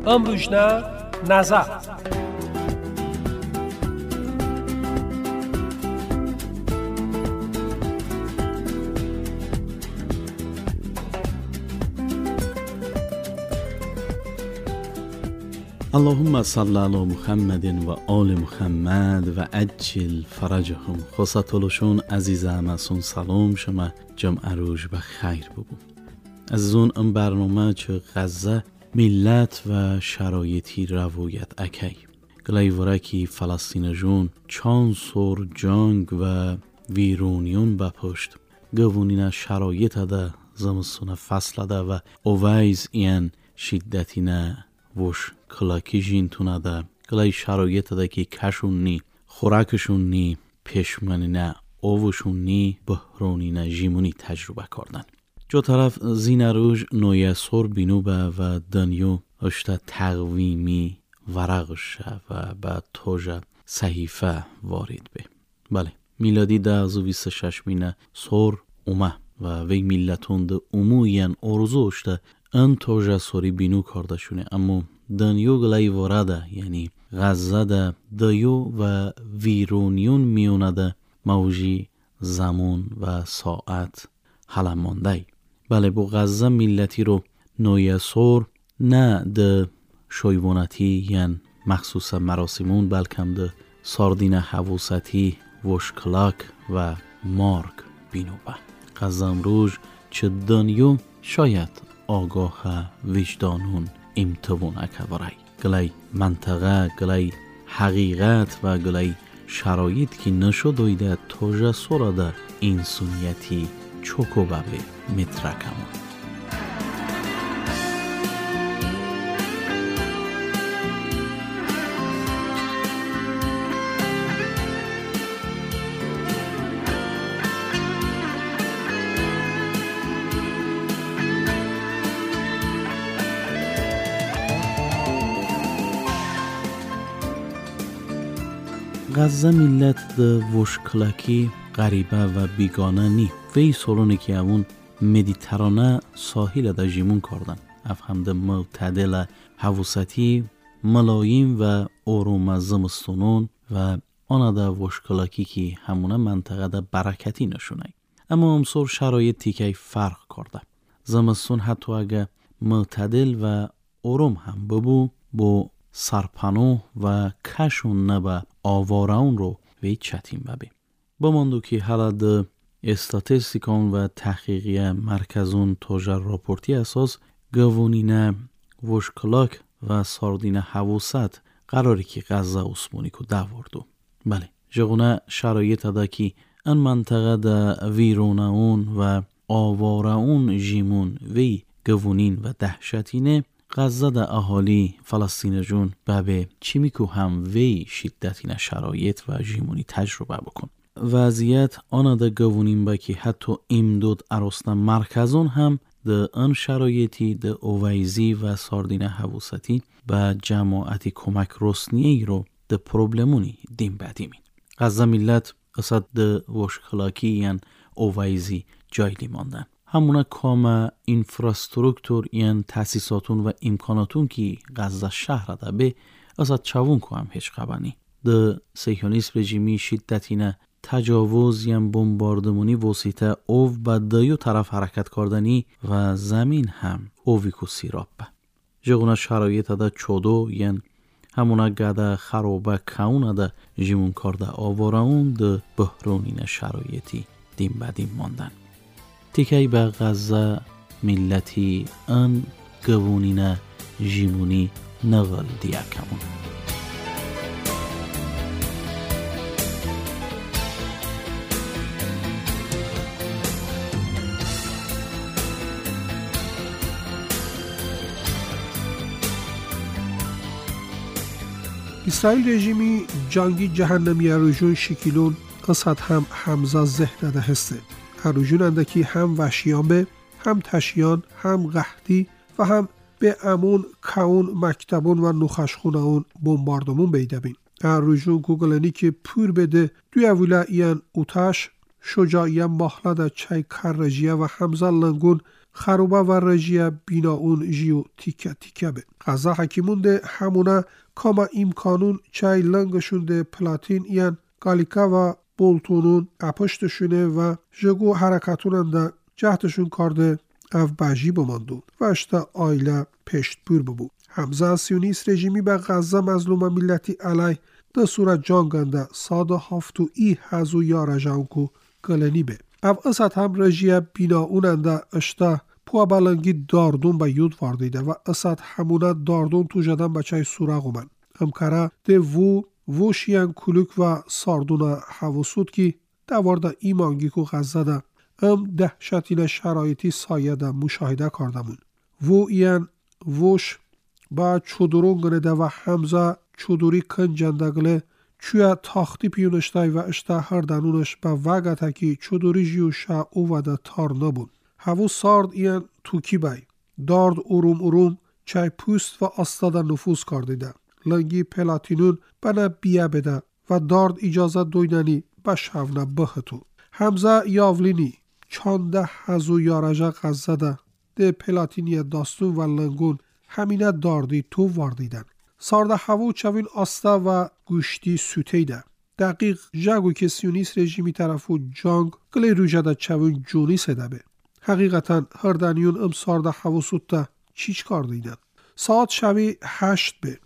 امروزنا نظر اللهم صل علی محمد و آل محمد و عجل فرجهم. خواستولشون عزیزم اسون سلام شما جمعه روز بخیر بگو. عزیزون این برنامه چه غزه ملت و شرایطی روایت اکی گلای ورکی فلسطین جون چند سور جنگ و ویرونیون به پشت گوونین شرایط ده زمستون فصل ده و اویز این شدتینه وش کلاکی جینتونه ده گلای شرایط ده که کشون نی خوراکشون نی پشمنی نه اوشون نی بحرونی نه جیمونی تجربه کردن. جو طرف زین روش نویه سور بینو به و دنیو اشتا تقویمی ورقش و به توجه صحیفه وارد به. بله میلادی 2026 مینه سور اومه و وی ملتون ده عموین آرزو اشتا ان توجه سوری بینو کرده شونه، اما دنیو گلای وارده یعنی غزه ده دیو و ویرونیون میونه ده موجی زمان و ساعت حالا مانده. بله با غزه ملتی رو نویه سور نه ده شویوانتی یعنی مخصوص مراسمون بلکم ده ساردین حواستی وشکلاک و مارگ بینو به. غزه امروز چه دنیو شاید آگاه وجدانون امتوون اکوارای گلای منطقه گلای حقیقت و گلای شرایط که نشد توجه سوراده انسانیتی چوکو به مترکمون. غزه ملت ده وشکلکی غریبه و بیگانه نی وی سرونه که اون مدیترانه ساحل ده جیمون کردن اف هم ده معتدل حواستی ملایم و آروم زمستونون و آنها ده وشکلکی که همونه منطقه ده برکتی نشونه. اما امسور شرایط تیکی فرق کرده. زمستون حتی اگه معتدل و آروم هم ببو با سرپناه و کشون نبا آواران رو وی چتیم ببی. بماندو که حالا ده استاتستیکان و تحقیقی مرکزون توجه راپورتی اساس گوونینه وشکلاک و ساردین حواست قراری که غزه عثمانی کو دواردو. بله جغونه شرایط ده که این منطقه ده ویرونه اون و آواره اون جیمون وی گوونین و دهشتینه غزه ده اهالی فلسطین جون به چیمیکو هم وی شدتین شرایط و جیمونی تجربه بکن. وضعیت آن ده گوونین با که حتی امداد عراسنا مرکزون هم ده آن شرایطی ده اویزی و ساردین حواستی به جماعتی کمک رسنیه رو ده پروبلمونی دیم بدیمین. غزه ملت قصد ده وشکلاکی یعنی اویزی جایلی ماندن. همونه کام اینفراسترکتور یعنی تاسیساتون و امکاناتون که غزه شهر ده به قصد چوون که هم هیچ قبانی. ده سیهونیست رژیمی شدتینه تجاوز یم بمباردمونی وسیطه او به دیو طرف حرکت کردنی و زمین هم اوویکو سیراب به. جغونه شرایط ده چودو ین همونه گده خرابه کونه ده جیمون کرده آواره اون ده بحرونین شرایطی دیم به دیم ماندن. تیکی به غزه ملتی ان گوونین جیمونی نغل دیکمون. اسرائیل رژیمی جنگی جهنمی اروژون شکیلون قصد هم حمزه ذهن ده هسته. اروژون اندکی هم وحشیان به، هم تشیان، هم قحطی و هم به امون، کون، مکتبون و نخشخونه اون بمباردمون بیده بین. اروژون گوگلنی که پور بده دوی اولا این اوتش شجاعیه ماهله ده چای کر رژیه و حمزه لنگون خروبه و رژیه بیناون جیو تیکه تیکه به. غزه حکیمون ده همونه کاما امکانون چای لنگشون ده پلاتین این گالیکا و بولتونون اپشتشونه و جگو حرکتونن ده جهتشون کارده اف بجی بماندون و اشتا آیله پشت پور ببو. حمزه سیونیست رژیمی به غزه مظلوم ملتی علی ده صورت جانگنده ساده هافتو ای هزو یاره جانکو گلنی به. اف اسد هم رژیه بیناوننده اشتا پوا بلنگی داردون به یود واردیده و اسد همونه داردون تو جدن بچه سورغ اومن. امکره ده وو ووشیان کلوک و ساردون حواسود کی دوارده ایمانگی کو غزه ده ام دهشتین شرایطی سایه ده مشاهده کردمون. وو ایان ووش با چودرون گنده و حمزه چودوری کنجندگله چویا تاختی پیونشتای و اشتا هردنونش به وگته که چودوری جیوشا او و ده تار نبون. هفو سارد ایان توکی بای. دارد اروم اروم چای پوست و آستا ده نفوذ کردیده. لنگی پلاتینون بنا بیا بده و دارد اجازه دویننی به شونه بهتو. حمزه یاولینی چانده هزو یارجه غزه ده ده پلاتینی داستون و لنگون همینه داردی تو واردیدن. سارده هفو چوین آستا و گوشتی سوتیده. دقیق جگو که سیونیست رژیمی طرفو جانگ گلی روژه ده چوین جونی سده به. حقیقتا هردنیون ام سارده هفو سوته چیچ کار دیدن. ساعت شوی 8 به.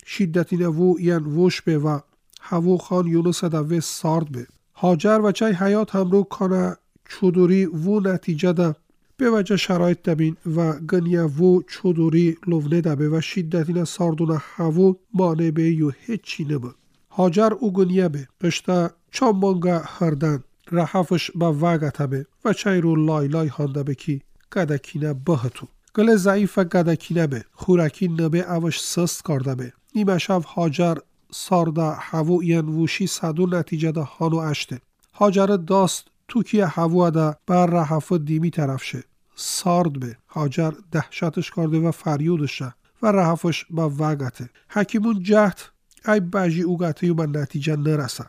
شدتی وو ین ووش به و هفو خان یونس ده و سارد به. هاجر و چای حیات همرو کانه چودوری وو نتیجه ده به وجه شرایط دبین و گنیه وو چودوری لونه دبه و شدتین ساردون هفو مانع به یو هیچی نبه. هاجر او گنیه به اشتا چان مانگا هردن رحفش به وگته به و چای رو لای لای هانده به کی گدکینه بهتو. گل ضعیف گدکینه به خورکی نبه اوش سست کرده به. نیمه شب هاجر سارده هفو این ووشی صدو نتیجه ده هانو اشته. هاجر داست توکی هفو ده بر رحف دیمی طرف شه. سارد به. هاجر دهشتش کرده و فریودشه و رحفش به وگته. حکیمون جهت ای بجی اوگته و به نتیجه نرسه.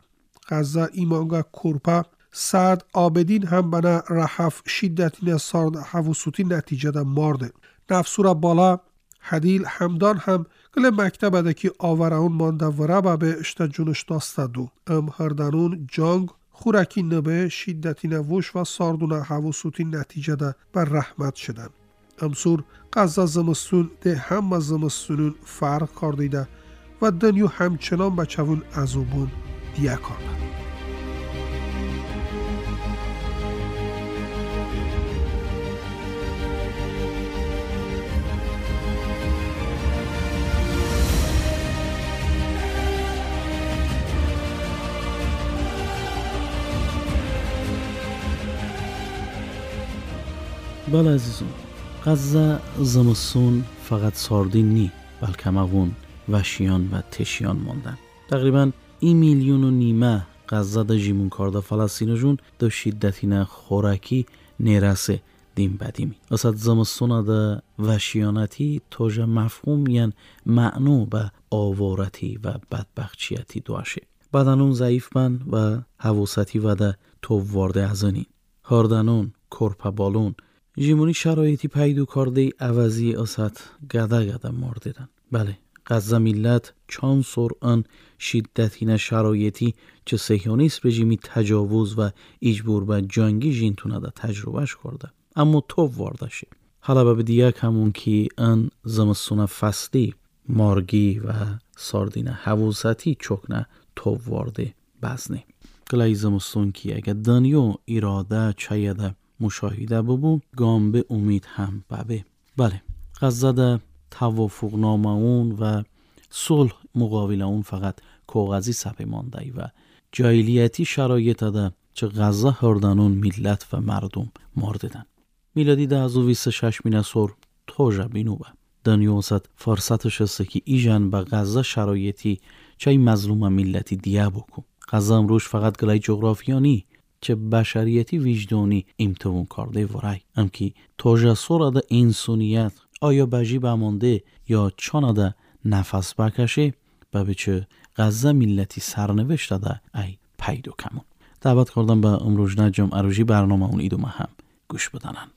غزه ایمانگا کرپه سعد آبدین هم بنا رحف شدتین سارد هفو سوتی نتیجه ده مارده. نفسورا بالا حدیل همدان هم گل مکتب ده که آورون مانده و ربه به اشتا جونش داسته دو. ام هردنون جانگ خورکی نبه شدتی نوش و ساردون هفو سوتی نتیجه ده بر رحمت شدن. امسور غزه زمستون ده همه زمستونون فرق کردیده و دنیو همچنان بچه‌ون عذابون دیه کرده. بله عزیزون، غزه زمستون فقط ساردین نی، بلکه مغون وشیان و تشیان ماندن. تقریبا 1.5 میلیون غزه ده جیمون کرده فلسطین جون ده شدتین خوراکی نرسه دیم بدیمی. اصد زمستون ده وشیانتی توجه مفهوم ین معنو به آوارتی و بدبخچیتی دواشه. بدنون ضعیف بن و حواستی و ده تووارده ازنین. هاردنون، کرپه بالون، جیمونی شرایطی پیدو کرده عوضی اسد گده گده مردیدن. بله، غزه ملت چند سرعن شدتین شرایطی چه صهیونیست رژیمی تجاوز و اجبور به جنگی جینتونه ده تجربهش کرده. اما تو وارده شی. حالا به دیگه همون که ان زمستون فصلی مارگی و ساردین حواستی چکنه تو وارده بزنه. گلای زمستون که اگه دنیا اراده چایده مشاهده ببو گام به امید هم ببه. بله، غزه ده توافق نامه اون و صلح مقابله اون فقط کاغذی سپه مانده و جاهلیتی شرایط ده چه غزه هردنون ملت و مردم مارددن. میلادی 2026 مینه سر توجه بینو به دنیا ست فرصتش است که ایجان به غزه شرایطی چه مظلوم ملتی دیه بکن. غزه امروز فقط گلای جغرافیانی چه بشریتی وجدانی امتوون کرده ورای ام که توجه سر ده انسانیت آیا بجی بمانده یا چانه نفس بکشه و به چه غزه ملتی سرنوشت ده ای پیدا کمون. دعوت کردم به امروز نجم عروجی برنامه اون ایدومه هم گوش بدنن.